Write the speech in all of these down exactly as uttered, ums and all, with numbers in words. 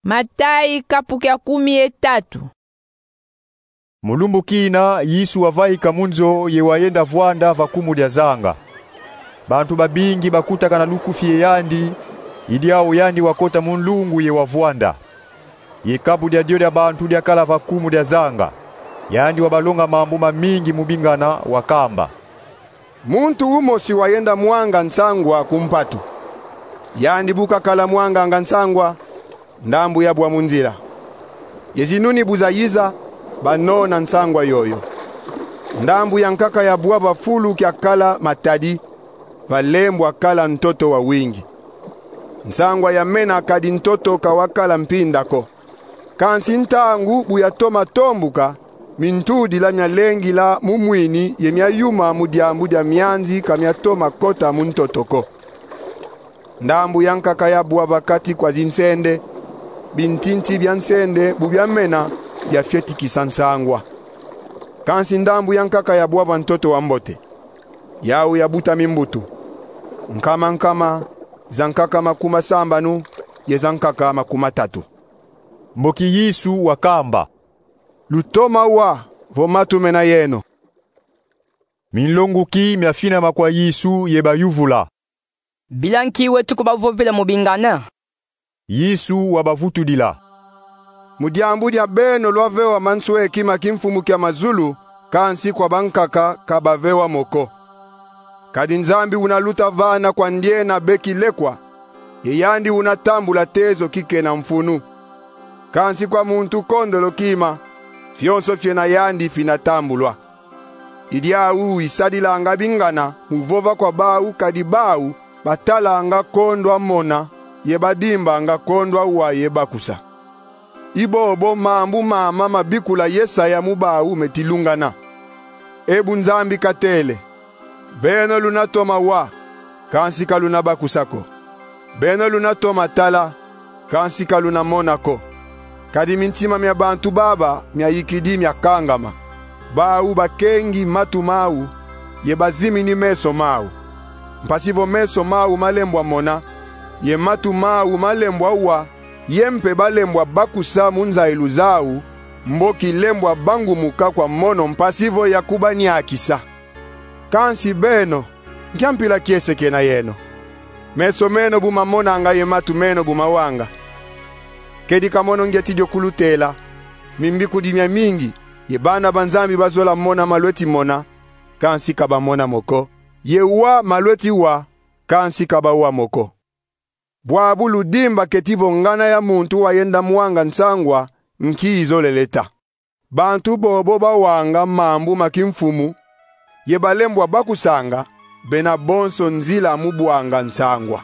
Matayi, kapu kia kumi ye tatu. Mu lumbu kina, Yesu wavaika mu nzo ye wayenda vwanda va kumu dia zanga. Bantu babingi bakutakana lukufi ye yandi, i diawu yandi wakota mu nlungu ye wavwanda. Ye kapu dia dio dia bantu diakala va kumu dia zanga. Yandi wabalonga mambu mamingi mu bingana, wakamba: Muntu umosi wayenda mwanga nsangwa ku mpatu. Yandi bu kakala mwanganga nsangwa, ndambu yabwa mu nzila. Ye zinuni bu zayiza, banona nsangwa yoyo. Ndambu yankaka yabwa va fulu kiakala matadi, valembwa kala ntoto wawingi. Nsangwa yamena, kadi ntoto ka wakala mpinda ko. Kansi ntangu bu yatoma tombuka, mintudila mialengila mu mwini ye miayuma mu diambu dia mianzi, ka miatoma kota mu ntoto ko. Ndambu yankaka yabwa va kati kwa zinsende, bintinti bia nsende bu biamena, biafietikisa nsangwa. Kansi ndambu yankaka yabwa va ntoto wambote. Yawu yabuta mimbutu: nkama nkama, zankaka makumi masambanu, ye zankaka makumi matatu. Mboki Yesu wakamba: Lutoma wa vo matu mena yeno. Minlonguki miafinama kwa Yesu ye bayuvula: Bila nki wetu kubavovila mu bingana? Yesu wabavutudila: Mu diambu dia beno lwavewa mansweki ma kimfumu kia mazulu, kansi kwa bankaka ka bavewa mo ko. Kadi Nzambi una luta vana kwa ndiena beki lekwa, ye yandi una tambula tezo kikena mfunu. Kansi kwa muntu kondolo kima, fionso fiena yandi fina tambulwa. I diawu isadilanga bingana mu vova kwa bawu, kadi bawu batalanga kondwa mona, ye badimbanga kondwa wa ye bakusa. I bobo mambu mama mabikula Yesaya mu bawu meti lungana. E bu Nzambi katele: Beno luna toma wa, kansi ka luna bakusa ko. Beno luna toma tala, kansi ka luna mona ko. Kadi mintima mia bantu baba miayikidi miakangama. Bawu bakengi matu mawu, ye bazimini meso mawu. Mpasi vo meso mawu malembwa mona, ye matu mawu malembwa wa, ye mpe balembwa bakusa mu nzayilu zawu, mboki lembwa bangumuka kwa mono mpasi vo yakubaniakisa. Kansi beno, nkia mpila kiese kena yeno? Meso meno bu mamonanga ye matu meno bu mawanga? Kedika mono ngyeti dio kulutela, mimbikudi miamingi, ye bana ba Nzambi bazola mona malweti mona, kansi ka bamona mo ko, ye wa malweti wa, kansi ka bawa mo ko. Bwabu ludimba keti vo ngana ya muntu wayenda mwanga nsangwa nki izolele ta. Bantu bobo bawanga mambu ma kimfumu, ye balembwa bakusanga, bena bonso nzila mu bwanga nsangwa.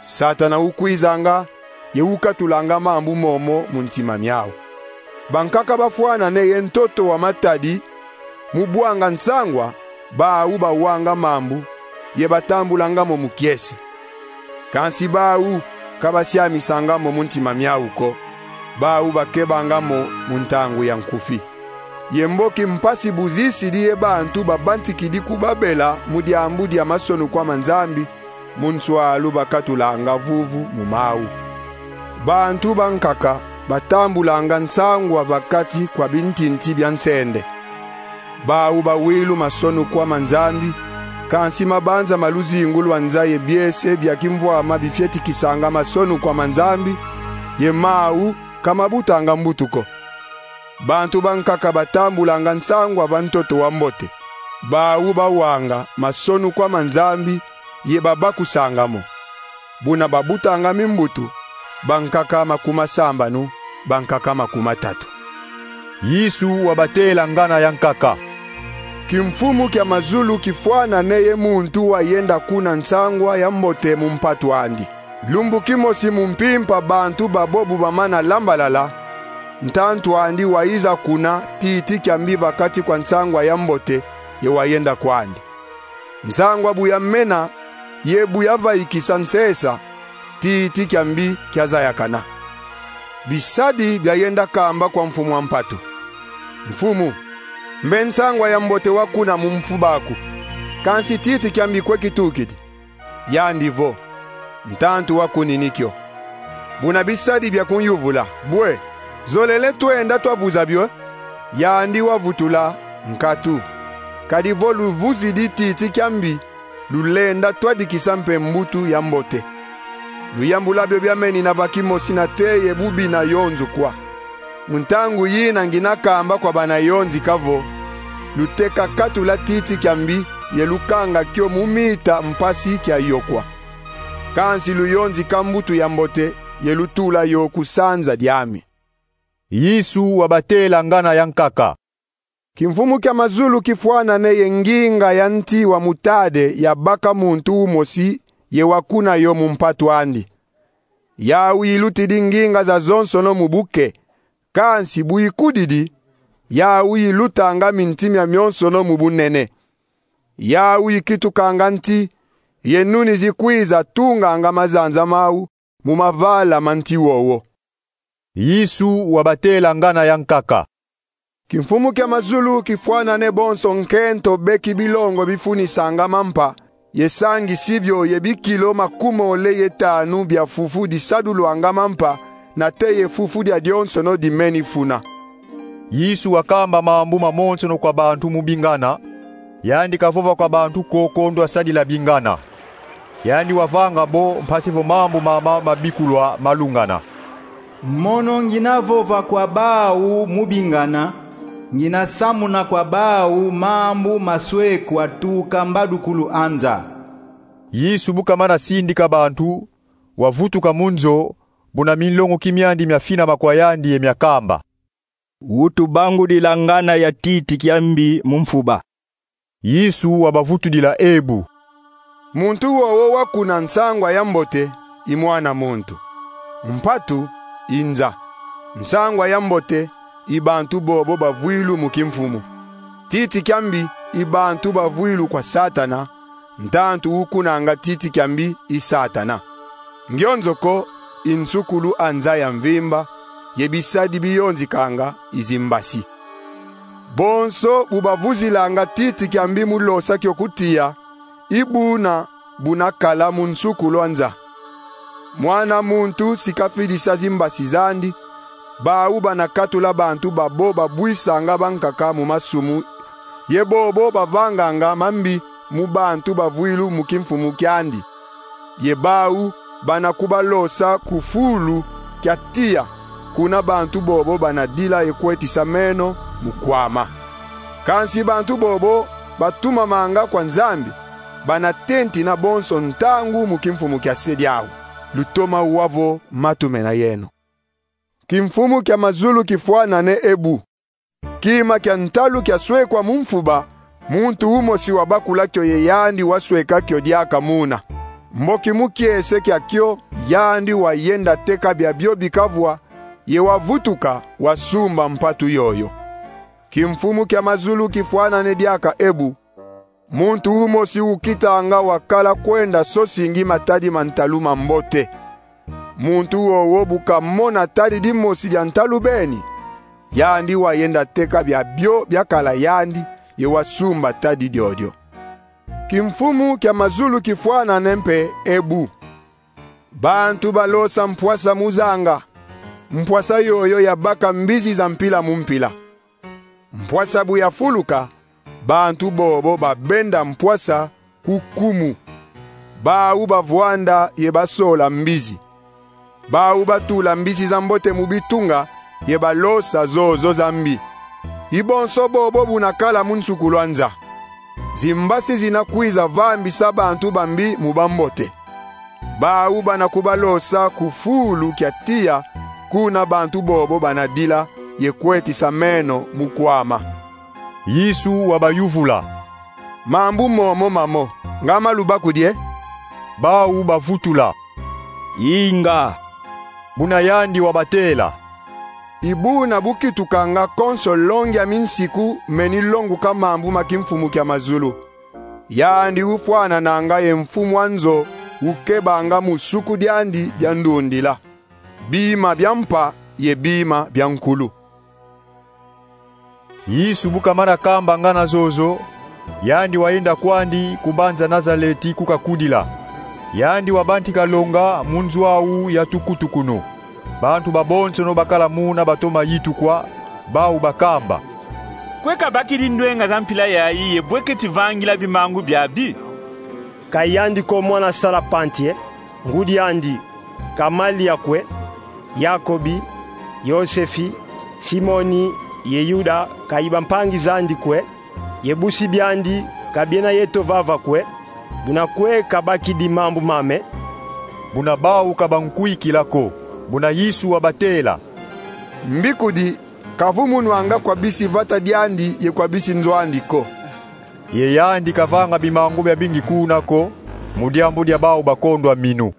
Satana ukwizanga, ye ukatulanga mambu momo mu ntima miawu. Bankaka bafwanane ye ntoto wa matadi, mu bwanga nsangwa, bawu bawanga mambu, ye batambulanga mo mu kiese. Kansi bawu ka basiamisanga mo mu ntima miawu ko, bawu bakebanga mo mu ntangu ya nkufi. Ye mboki mpasi bu zisidi ye bantu babantikidi kubabela mu diambu dia masonukwa ma Nzambi, mu nswalu bakatulanga vuvu mu mawu. Bantu bankaka batambulanga nsangwa va kati kwa bintinti bia nsende. Bawu bawilu masonukwa ma Nzambi, kansi mabanza ma luzingu lwa nza ye biese bia kimvwama bifietikisanga masonukwa ma Nzambi, ye mawu ka mabutanga mbutu ko. Bantu bankaka batambulanga nsangwa va ntoto wa mbote. Bawu bawanga masonukwa ma Nzambi, ye babakusanga mo. Buna babutanga mimbutu, bankaka makumi masambanu, bankaka makumi matatu. Yesu wabatela ngana yankaka: Kimfumu kia mazulu kifwanane ye muntu wayenda kuna nsangwa ya mbote mu mpatu andi. Lumbu kimosi mu mpimpa bantu babo bu bamana lambalala, ntantu andi wayiza kuna titi kia mbi va kati kwa nsangwa ya mbote, ye wayenda kwandi. Nsangwa bu yamena, ye bu yavaikisa nsesa, titi kia mbi kiazayakana. Bisadi biayenda kamba kwa mfumu a mpatu: Mfumu, mbe nsangwa ya mbote wakuna mu mfuba aku, kansi titi kia mbi kwe kitukidi? Yandi vo: Ntantu wakunini kio. Buna bisadi bia kunyuvula: Bwe, zolele twenda twavuza bio? Yandi wavutula: Nkatu. Kadi vo luvuzidi titi kia mbi, lulenda twadikisa mpe mbutu ya mbote. Luyambula bio biamenina va kimosi nate ye bubi na yo nzo kwa. Mu ntangu yina ngina kamba kwa bana yonzika vo: Luteka katula titi kia mbi ye lukanga kio mu mita mpasi kia yokwa. Kansi luyonzika mbutu ya mbote ye lutula yo ku sanza diami. Yesu wabatela ngana ya nkaka: Kimfumu kia mazulu kifwanane ye nginga ya nti wa mutade yabaka muntu umosi ye wakuna yo mu mpatu andi. Yau ilutidi nginga zazonsono mu buke, kansi bu ikudidi, yau ilutanga minti mia mionsono mu bunene. Yau ikitukanga nti, ye nuni zikwiza tunganga mazanza mau mu mavala ma nti wowo. Yesu wabatela ngana ya nkaka: Kimfumu kia mazulu kifwanane bonso nkento beki bilongo bifunisanga mampa, ye sangisi bio ye bikilo makumole ye tanu bia fufu disadulwanga mampa, nate ye fufu dia dionsono dimeni funa. Yesu wakamba mambu mamonsono kwa bantu mu bingana, yandi kavova kwa bantu ko ko ndwa sadila bingana. Yandi wavanga bo mpasi vo mambu mama mabikulwa malungana: Mono ngina vova kwa bau mu bingana, ngina samuna kwa bau mambu maswekwa tuka mbadukulu a nza. Yesu bu kamana sindika bantu, wavutuka mu nzo, buna minlongoki miandi miafinama kwa yandi ye miakamba: Utubangudila ngana ya titi kia mbi mu mfuba. Yesu wabavutudila ebu: Muntu wowo wakuna nsangwa ya mbote i Mwana muntu. Mpatu i nza. Nsangwa ya mbote i bantu bobo bavwilu mu kimfumu. Titi kia mbi i bantu bavwilu kwa Satana, ntantu ukunanga titi kia mbi i Satana. Ngionzo ko i nsukulu a nza ya mvimba, ye bisadi biyonzikanga i zimbasi. Bonso bu bavuzilanga titi kia mbi mu losa kio ku tiya, i buna buna kala mu nsukulu a nza. Mwana muntu si kafidisa zimbasi zandi, bau bana katula bantu babo babwisanga bankaka mu masumu, ye bobo bavanganga mambi mu bantu bavwilu mu kimfumu kiandi. Ye bau bana kubalosa ku fulu kia tiya, kuna bantu bobo bana dila ye kwetisa meno mu kwama. Kansi bantu bobo batumamanga kwa Nzambi, bana tentina bonso ntangu mu kimfumu kia se diau. Lutoma wa vo matu mena yeno. Kimfumu kia mazulu kifwanane ebu. Kima kia ntalu kiaswekwa mu mfuba, muntu umosi wabakula kio ye yandi wasweka kio diaka muna. Mboki mu kiese kia kio, yandi wayenda teka biabio bikavwa, ye wavutuka, wasumba mpatu yoyo. Kimfumu kia mazulu kifwanane diaka ebu. Muntu umosi ukitanga wakala kwenda sosingi matadi ma ntalu mambote. Muntu wowo bu kamona tadi dimosi dia ntalu beni, yandi wayenda teka biabio biakala yandi, ye wasumba tadi diodio. Kimfumu kia mazulu kifwanane mpe ebu. Bantu balosa mpwasa mu zanga. Mpwasa yoyo yabaka mbizi za mpila mu mpila. Mpwasa bu yafuluka, bantu bobo babenda mpwasa ku kumu. Bau bavwanda ye basola mbizi. Bau batula mbizi za mbote mu bitunga, ye balosa zozo za mbi. I bonso bobo buna kala mu nsukulu a nza. Zimbasi zina kwiza vambisa bantu bambi mu bambote. Bau bana kubalosa ku fulu kia tiya, kuna bantu bobo bana dila ye kwetisa meno mu kwama. Yesu wabayuvula: Mambu momo mamo, nga ma lubakudi e? Bau bavutula: Inga. Buna yandi wabatela: I buna bu kitukanga konso longi a minsiku meni longuka mambu ma kimfumu kia mazulu. Yandi ufwanananga ye mfumu a nzo ukebanga mu suku diandi dia ndundila bima bia mpa ye bima bia nkulu. Yesu bu kamana kamba ngana zozo, yandi wayenda kwandi ku banza Nazaleti ku kakudila. Yandi wabantika longa mu nzo au ya tukutukunu. Bantu babonsono bakala muna batoma yitukwa, bau bakamba: Kwe kabakidi ndwenga za mpila yayi ye bwe keti vangila bimangu biabi? Ka yandi ko mwana sala pantie, ngudi andi Kamalia kwe, Yakobi, Yosefi, Simoni ye Yuda, kayi bampangi zandi kwe, ye busi biandi ka biena yeto vava kwe, buna kwe kabakidi mambu mame? Buna bau kabankwikila ko. Buna Yesu wabatela: Mbikudi, ka vo mu nwanga kwa bisi vata diandi ye kwa bisi nzo andi ko. Ye yandi kavanga bimangu biabingi kuna ko, mu diambu dia bau bakondwa minu.